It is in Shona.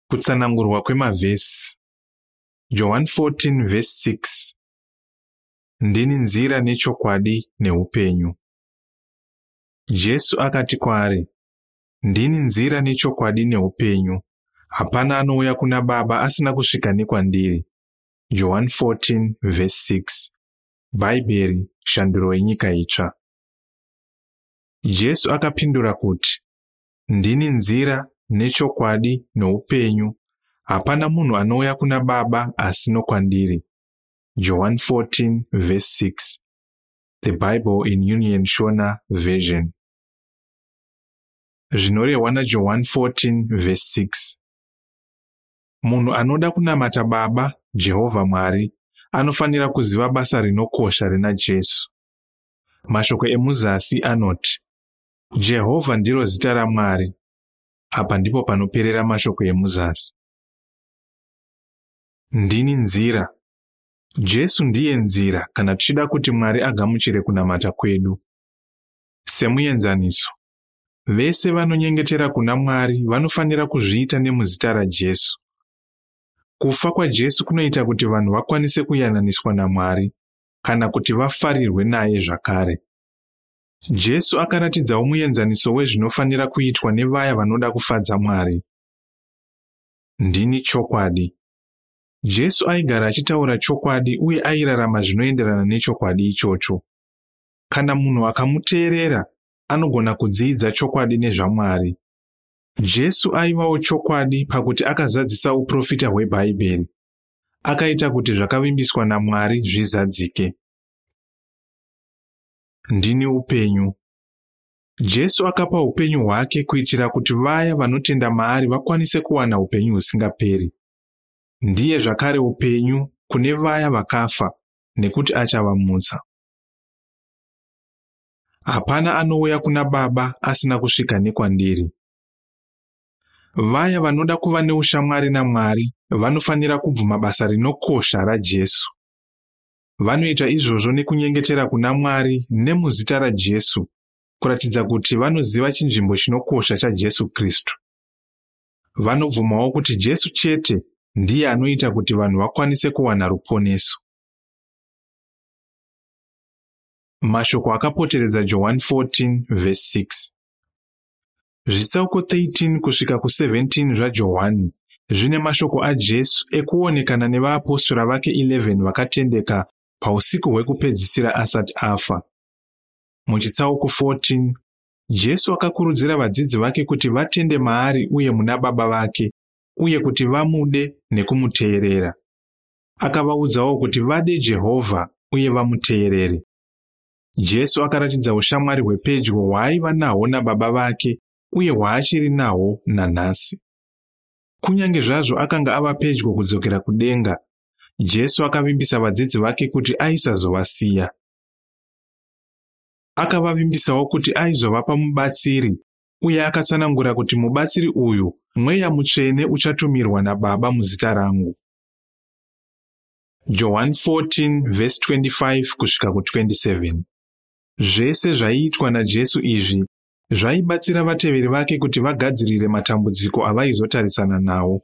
Kutsanangurwa kwemavhesi. Johani 14 vhesi 6. Ndini nzira nechokwadi neupenyu. Jesu akati kwaari, Ndini nzira nechokwadi neupenyu. Hapana anouya kuna Baba asina kusvika nekwandiri. Johani 14 vhesi 6. Bhaibheri, Shanduro yeNyika Itsva. Jesu akapindura kuti, Ndini nzira nechokwadi noupenyu. Hapana munhu anouya kuna Baba asi nokwandiri. Johani 14 vhesi 6. The Bible in Union Shona Version. Zvinorehwa naJohani 14 vhesi 6. Munhu anoda kunamata Baba, Jehovha Mwari, anofanira kuziva basa rinokosha rina Jesu. Mashoko emuzasi anoti, Jehovha ndiro zita raMwari. Apa ndipo panoperera mashoko emuzasi. Ndini nzira. Jesu ndiye nzira kana tichida kuti Mwari agamuchire kunamata kwedu. Semuenzaniso, vese vanonyengetera kuna Mwari vanofanira kuzviita nemuzita raJesu. Kufa kwaJesu kunoita kuti vanhu vakwanise kuyananiswa naMwari kana kuti vafarirwe naye zvakare. Jesu akaratidzawo muenzaniso wezvinofanira kuitwa nevaya vanoda kufadza Mwari. Ndini chokwadi. Jesu aigara achitaura chokwadi uye airarama zvinoenderana nechokwadi ichocho. Kana munhu akamuteerera, anogona kudzidza chokwadi nezvaMwari. Jesu aivawo chokwadi pakuti akazadzisa uprofita hweBhaibheri. Akaita kuti zvakavimbiswa naMwari zvizadzike. Ndini upenyu. Jesu akapa upenyu hwake kuitira kuti vaya vanotenda maari vakwanise kuwana upenyu husingaperi. Ndiye zvakare upenyu kune vaya vakafa nekuti achavamutsa. Hapana anouya kuna Baba asina kusvika nekwandiri. Vaya vanoda kuva neushamwari naMwari vanofanira kubvuma basa rinokosha raJesu. Vanoita izvozvo nekunyengetera kuna Mwari nemuzita raJesu, kuratidza kuti vanoziva chinzvimbo chinokosha chaJesu Kristu. Vanobvumawo kuti Jesu chete ndiye anoita kuti vanhu vakwanise kuwana ruponeso. Mashoko akapoteredza Johani 14 vhesi 6. Zvitsauko 13 kusvika ku17 zvaJohani zvine mashoko aJesu ekuonekana nevaapostora vake 11 vakatendeka pausiku hwekupedzisira asati afa. Muchitsauko 14, Jesu akakurudzira vadzidzi vake kuti vatende maari uye muna Baba vake uye kuti vamude nekumuteerera. Akavaudzawo kuti vade Jehovha uye vamuteerere. Jesu akaratidza ushamwari hwepedyo hwaaiva nahwo naBaba vake uye hwaachiri nahwo nanhasi. Kunyange zvazvo akanga ava pedyo kudzokera kudenga, Jesu akavimbisa vadzidzi vake kuti aisazovasiya. Akavavimbisawo kuti aizovapa mubatsiri uye akatsanangura kuti mubatsiri uyu Mweya Mutsvene uchatumirwa naBaba muzita rangu. Johani 14 vhesi 25 kusvika ku27. Zvese zvaiitwa naJesu izvi zvaibatsira vateveri vake kuti vagadzirire matambudziko avaizotarisana nawo.